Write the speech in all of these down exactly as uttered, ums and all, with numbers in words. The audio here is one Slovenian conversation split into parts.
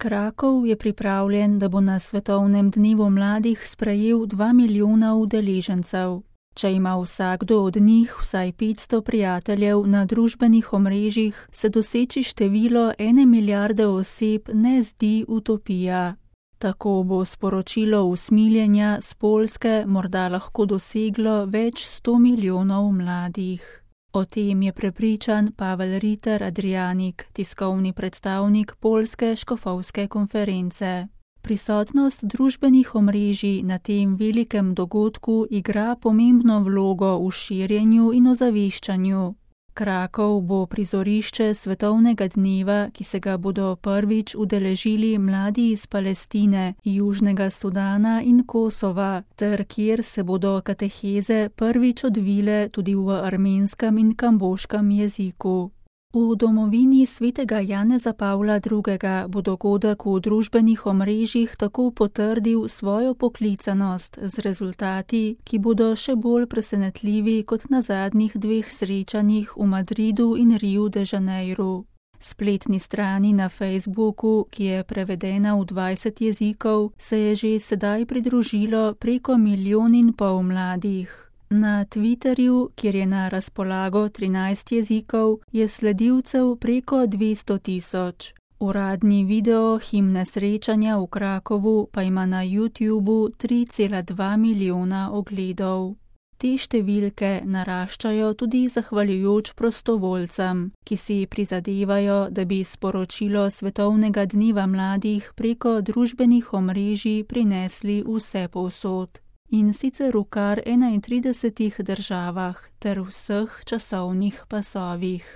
Krakov je pripravljen, da bo na Svetovnem dnevu mladih sprejel dva milijona udeležencev. Če ima vsakdo od njih vsaj petsto prijateljev na družbenih omrežjih, se doseči število ene milijarde oseb ne zdi utopija. Tako bo sporočilo usmiljenja s Poljske morda lahko doseglo več sto milijonov mladih. O tem je prepričan Pavel Ritter Adrianik, tiskovni predstavnik Poljske škofovske konference. Prisotnost družbenih omrežij na tem velikem dogodku igra pomembno vlogo v širjenju in ozaveščanju. Krakov bo prizorišče svetovnega dneva, ki se ga bodo prvič udeležili mladi iz Palestine, Južnega Sudana in Kosova, ter kjer se bodo kateheze prvič odvile tudi v armenskem in kamboškem jeziku. V domovini svetega Janeza Pavla drugega bo dogodek v družbenih omrežjih tako potrdil svojo poklicanost z rezultati, ki bodo še bolj presenetljivi kot na zadnjih dveh srečanjih v Madridu in Riu de Janeiru. Spletni strani na Facebooku, ki je prevedena v dvajset jezikov, se je že sedaj pridružilo preko milijon in pol mladih. Na Twitterju, kjer je na razpolago trinajst jezikov, je sledilcev preko dvesto tisoč. Uradni video himne srečanja v Krakovu pa ima na YouTubu tri cela dva milijona ogledov. Te številke naraščajo tudi zahvaljujoč prostovoljcem, ki si prizadevajo, da bi sporočilo Svetovnega dneva mladih preko družbenih omrežij prinesli vse povsod. In sicer v kar enaintridesetih državah ter vseh časovnih pasovih.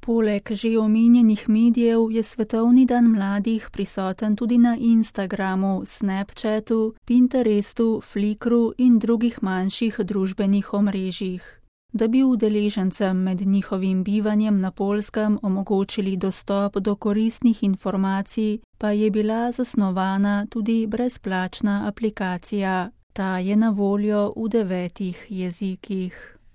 Poleg že omenjenih medijev je Svetovni dan mladih prisoten tudi na Instagramu, Snapchatu, Pinterestu, Flickru in drugih manjših družbenih omrežjih. Da bi udeležencem med njihovim bivanjem na Poljskem omogočili dostop do koristnih informacij, pa je bila zasnovana tudi brezplačna aplikacija. Ta je na voljo v devetih jezikih.